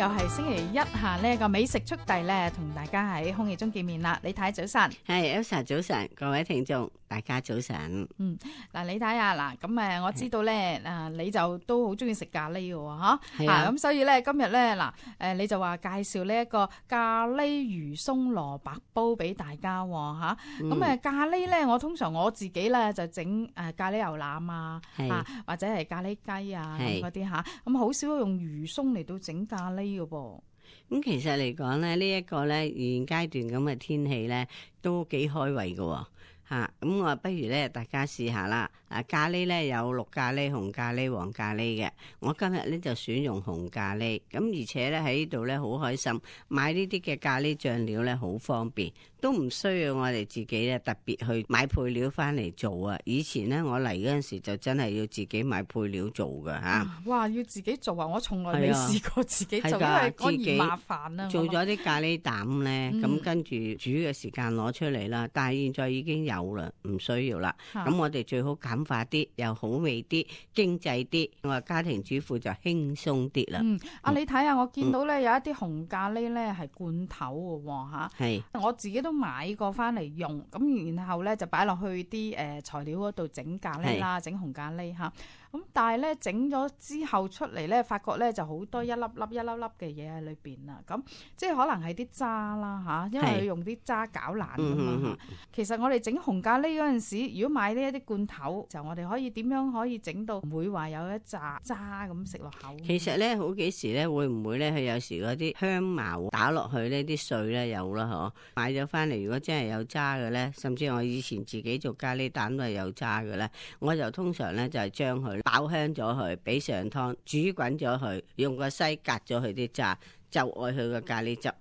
又係星期一下呢個美食速遞咧，同大家喺空氣中見面啦。李太早晨，係 Elsa 早晨，各位聽眾大家早晨。嗱李太啊，嗱咁我知道咧，你就都好中意食咖喱嘅喎，咁所以咧今日咧你就話介紹呢一個咖喱魚鬆蘿蔔煲俾大家喎，咁咖喱咧，我通常我自己咧就整咖喱牛腩啊，或者係咖喱雞啊咁嗰啲嚇，咁好少用魚鬆嚟到整咖喱嘅噃。咁其實嚟講咧，呢一個咧現階段咁嘅天氣咧，都幾開胃嘅嚇。咁我不如咧大家試下啦。咖喱咧有綠咖喱、紅咖喱、黃咖喱嘅。我今日咧就選用紅咖喱。咁而且咧喺呢度咧好開心，買呢啲嘅咖喱醬料咧好方便，都唔需要我哋自己咧特別去買配料翻嚟做啊。以前咧我嚟嗰陣時就真係要自己買配料做㗎嚇。哇！要自己做啊！我從來未試過自己做，因為嗰嫌麻煩啦。做咗啲咖喱膽咧，咁跟住煮嘅時間攞出嚟啦。但係現在已經有啦，唔需要啦。咁我哋最好簡化啲，又好味啲，經濟啲。我話家庭主婦就輕鬆啲啦。你睇下，我見到咧有一啲紅咖喱咧係罐頭嘅喎嚇。係。我自己都買過翻嚟用，咁然後咧就擺落去啲材料嗰度整咖喱啦，整紅咖喱嚇。咁但係咧整咗之後出嚟咧，發覺咧就好多一粒粒嘅嘢喺裏邊啦。咁即係可能係啲渣啦嚇，因為佢用啲渣攪爛㗎嘛。其實我哋整紅咖喱嗰陣時，如果買呢一啲罐頭，就我哋可以點樣可以整到唔會話有一紮渣咁食落口？其實咧好幾時咧會唔會咧佢有時嗰啲香茅打落去呢啲碎咧有啦嗬。買咗翻嚟如果真係有渣嘅咧，甚至我以前自己做咖喱蛋都係有渣嘅咧，我就通常咧就係將佢爆香咗佢，俾上湯煮滾咗佢，用個篩隔咗佢啲渣，就愛佢個咖喱汁。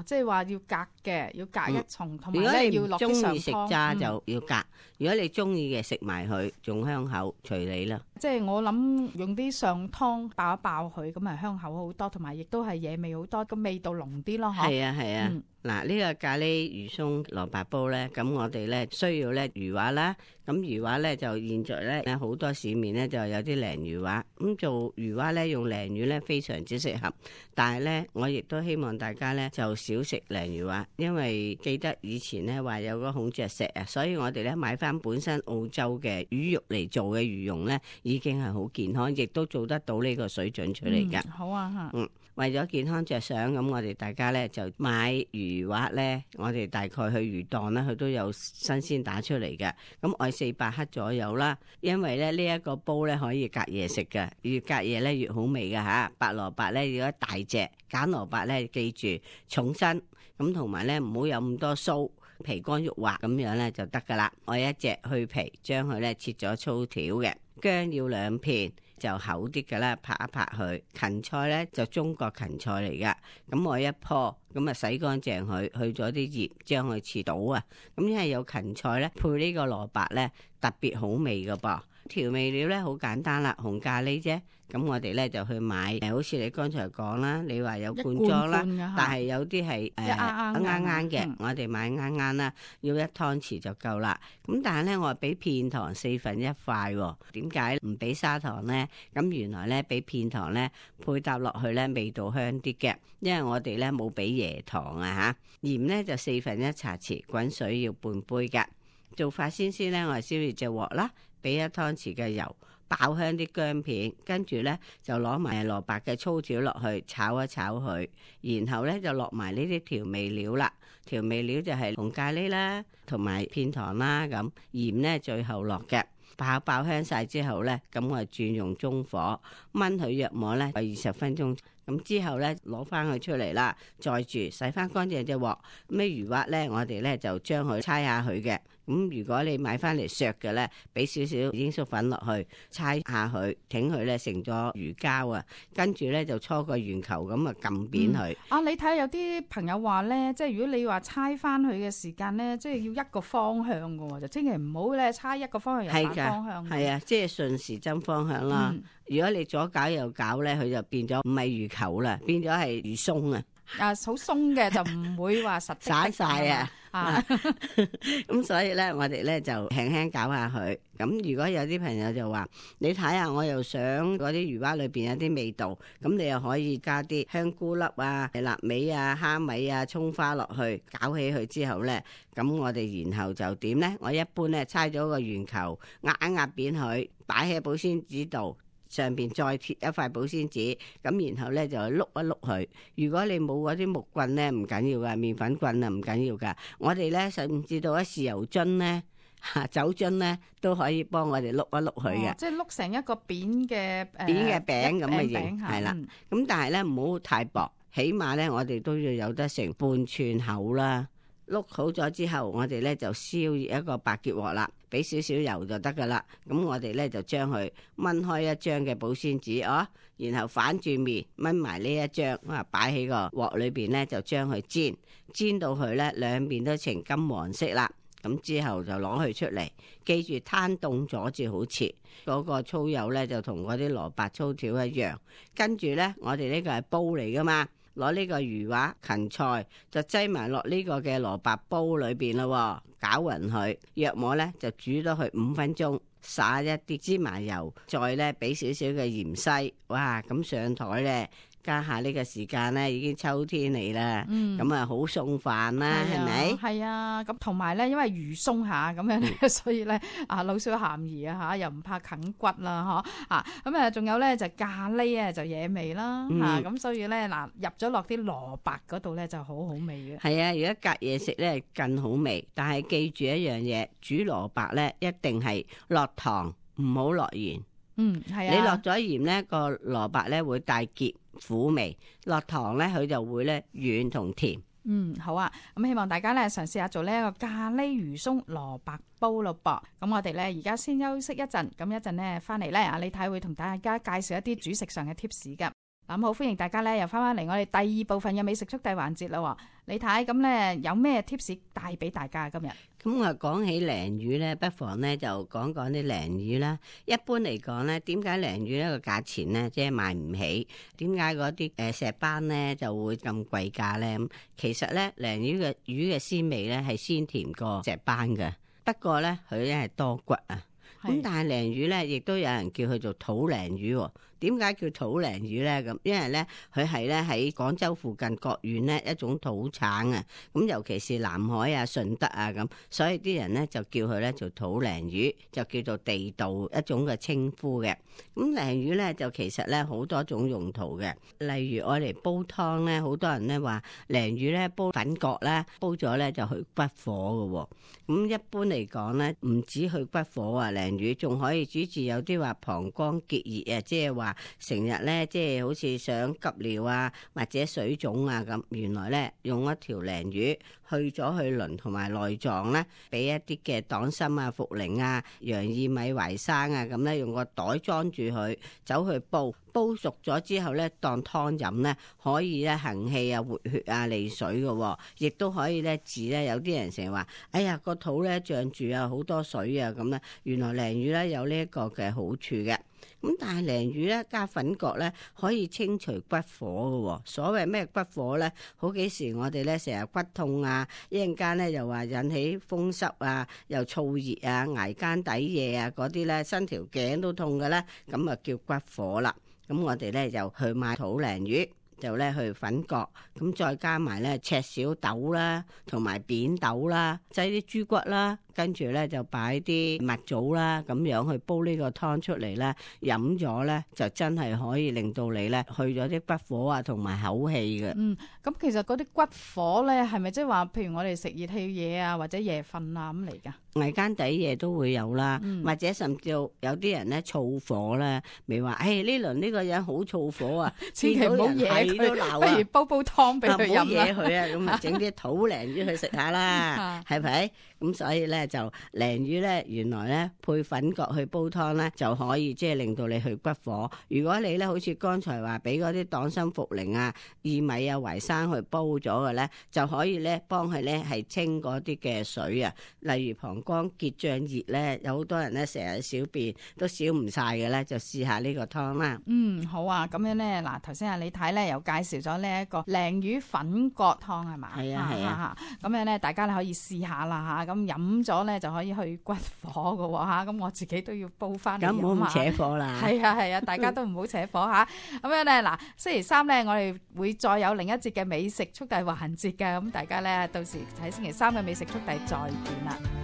即係話要隔嘅，要隔一重，同埋如果你要落啲上湯。中意食渣就要隔，如果你中意嘅食埋佢，仲香口，隨你啦。即係我諗用啲上湯爆一爆佢，咁啊香口好多，同埋亦都係野味好多，個味道濃啲咯。係啊。嗱，呢個咖喱魚鬆蘿蔔煲咧，咁我哋咧需要咧魚滑啦。咁魚滑咧就現在咧好多市面咧就有啲鯪魚滑，咁做魚滑咧用鯪魚咧非常之適合。但係咧我亦都希望大家咧就少食鯪魚滑，因為記得以前咧話有個孔雀石啊，所以我哋咧買翻本身澳洲嘅魚肉嚟做嘅魚蓉咧，已經係好健康，亦都做得到呢個水準出嚟㗎。好啊嚇。為咗健康着想，咁我哋大家咧就買魚滑咧，我哋大概去魚檔咧，佢都有新鮮打出嚟嘅。咁愛400克左右啦，因為咧呢一個煲咧可以隔夜食嘅，越隔夜咧越好味嘅嚇。白蘿蔔咧要一大隻，揀蘿蔔咧記住重身，咁同埋咧唔好有咁多鬚，皮乾肉滑咁樣咧就得噶啦。我一隻去皮，將佢咧切咗粗條嘅，薑要2片。就厚啲嘅啦，拍一拍佢。芹菜咧就中國芹菜嚟噶，咁我一棵咁啊洗乾淨佢，去咗啲葉，將佢切到啊。咁因為有芹菜咧，配呢個蘿蔔咧特別好味噶噃。調味料咧好簡單啦，紅咖喱啫。咁我哋咧就去買，好似你剛才講啦，你話有罐裝啦，但係有啲係啱嘅，我哋買啱啦，要1湯匙就夠啦。咁但係咧，我話俾片糖1/4塊，點解唔俾砂糖咧？咁原來咧俾片糖咧配搭落去咧味道香啲嘅，因為我哋咧冇俾椰糖啊嚇。鹽咧就1/4茶匙，滾水要半杯㗎。做法先咧，我係燒熱隻鑊啦，俾1湯匙嘅油。爆香啲薑片，跟住咧就攞埋蘿蔔嘅粗條落去炒一炒佢，然後咧就落埋呢啲調味料啦。調味料就係紅咖喱啦，同埋片糖啦，咁鹽咧最後落嘅。爆香晒之後咧，咁我轉用中火燜佢約莫咧20分鐘。咁之後咧攞翻佢出嚟啦，再住洗翻乾淨隻鑊。咩魚滑咧，我哋咧就將佢搓下佢嘅。咁如果你買翻嚟削嘅咧，俾少少鷹粟粉落去搓下佢，挺佢咧成咗魚膠啊。跟住咧就搓個圓球咁啊，撳扁佢。你睇下有啲朋友話咧，即係如果你話搓翻佢嘅時間咧，即係要一個方向嘅喎，就千祈唔好咧搓一個方向又反方向。係啊，即係順時針方向啦。如果你左搞右搞咧，佢就變咗唔係魚球啦，變咗係魚鬆啊。好鬆嘅，就唔會話實散晒啊！咁咁所以咧，我哋咧就輕輕搞下佢。咁如果有啲朋友就話，你睇下，我又想嗰啲魚蛙裏邊有啲味道，咁你又可以加啲香菇粒啊、臘味啊、蝦米啊、葱花落去，搞起佢之後咧，咁我哋然後就點咧？我一般咧猜咗個圓球，壓一壓扁佢，擺喺保鮮紙度。上邊再貼一塊保鮮紙，咁然後咧就碌一碌佢。如果你冇嗰啲木棍咧，唔緊要噶，麵粉棍啊唔緊要噶。我哋咧甚至到一豉油樽咧、酒樽咧都可以幫我哋碌一碌佢嘅。即係碌成一個扁嘅扁嘅餅咁嘅形，係啦。咁但係咧唔好太薄，起碼咧我哋都要有得成半寸厚啦。碌好咗之後，我哋咧就燒熱一個白鐵鑊啦，俾少少油就得噶啦。咁我哋咧就將佢掹開一張嘅保鮮紙然後反住面掹埋呢一張，擺喺個鑊裏邊咧就將佢煎到佢咧兩邊都呈金黃色啦。咁之後就攞佢出嚟，記住攤凍咗至好切。嗰個粗油咧就同嗰啲蘿蔔粗條一樣。跟住咧，我哋呢個係煲嚟噶嘛。攞呢個魚滑芹菜就擠埋落呢個嘅蘿蔔煲裏邊咯，攪勻佢，約莫咧就煮咗佢5分鐘，撒一啲芝麻油，再咧俾少少嘅芫茜，哇！咁上台咧。家下呢個時間咧已經秋天嚟啦，咁好餸飯啦，係咪？係啊，咁同埋咧，因為魚鬆下咁樣咧，所以咧老少咸宜啊又唔怕啃骨啦咁仲有咧就咖喱啊就惹味啦咁所以咧入咗落啲蘿蔔嗰度咧就好好味嘅。係啊，如果隔夜食咧更好味，但係記住一樣嘢，煮蘿蔔咧一定係落糖，唔好落鹽。係啊。你落咗鹽咧，個蘿蔔咧會帶澀苦味，落糖咧佢就會咧軟同甜。好啊，咁希望大家咧嘗試下做呢一個咖喱魚鬆蘿蔔煲咯噃。咁我哋咧而家先休息一陣，咁一陣咧翻嚟咧李太會同大家介紹一啲煮食上嘅 tips 噶。咁好，歡迎大家咧又翻嚟我哋第二部分嘅美食速遞環節啦。李太，咁咧有咩 tips 帶俾大家今日？咁我講起鯪魚咧，不妨咧就講講啲鯪魚啦。一般嚟講咧，點解鯪魚呢個價錢咧即係買唔起？點解嗰啲石斑咧就會咁貴價咧？咁其實咧鯪魚嘅鮮味咧係鮮甜過石斑嘅，不過咧佢咧係多骨啊。咁但係鯪魚咧，亦都有人叫佢做土鯪魚。點解叫土鯪魚咧？咁因為咧佢係咧喺廣州附近各縣咧一種土產啊。咁尤其是南海啊、順德啊咁，所以啲人咧就叫佢咧做土鯪魚，就叫做地道一種嘅稱呼嘅。咁鯪魚咧就其實咧好多種用途嘅，例如我嚟煲湯咧，好多人咧話鯪魚咧煲粉角咧，煲咗咧就去骨火嘅。咁一般嚟講咧，唔止去骨火啊，鯪魚仲可以主治有啲話膀胱結熱啊，即係話成日咧即係好似想急尿啊，或者水腫啊咁。原來咧用一條鯪魚去咗去鱗同埋內臟咧，俾一啲嘅黨參啊、茯苓啊、洋薏米、淮山啊咁咧，用個袋裝住佢，走去煲熟咗之後咧，當湯飲咧，可以咧行氣啊、活血啊、利水嘅，亦都可以咧治咧。有啲人成日話，哎呀個肚咧脹住啊，好多水啊咁咧。原來鯪魚咧有呢一個嘅好處嘅。咁但係鯪魚咧加粉角咧可以清除骨火嘅。所謂咩骨火咧？好幾時我哋咧成日骨痛啊，一陣間咧又話引起風濕啊，又燥熱啊，捱更抵夜啊嗰啲咧，伸條頸都痛嘅咧，咁啊叫骨火啦。咁我哋咧就去買土鯪魚，就咧去粉角，咁再加埋咧赤小豆啦，同埋扁豆啦，擠啲豬骨啦，跟住咧就擺啲蜜棗啦，咁樣去煲呢個湯出嚟咧，飲咗咧就真係可以令到你咧去咗啲骨火啊，同埋口氣嘅。咁其實嗰啲骨火咧係咪即係話，譬如我哋食熱氣嘢啊，或者夜瞓啊咁嚟噶？捱更抵夜都會有啦，或者甚至有啲人咧燥火咧，咪話，呢輪呢個人好燥火啊，千祈唔好惹佢，不如煲湯俾佢飲啦。唔好惹佢啊，咁啊整啲土鯪魚去食下啦，係咪？咁所以咧咧就鯪魚咧原來咧配粉葛去煲湯咧就可以即係令到你去骨火。如果你咧好似剛才話俾嗰啲黨參茯苓啊、薏米啊、淮山去煲咗嘅咧，就可以咧幫佢咧係清嗰啲嘅水啊。例如膀胱結脹熱咧，有好多人咧成日小便都小唔晒嘅咧，就試下呢個湯啦。好啊，咁樣咧嗱，頭先阿李太咧又介紹咗呢一個鯪魚粉葛湯係嘛？係啊，咁樣咧大家咧可以試下啦嚇，咁飲咗咧就可以去骨火嘅喎嚇，咁我自己都要煲翻嚟飲啊。咁唔好扯火啦。係啊，大家都唔好扯火嚇。咁樣咧嗱，星期三咧我哋會再有另一節嘅美食速遞環節嘅，咁大家咧到時喺星期三嘅美食速遞再見啦。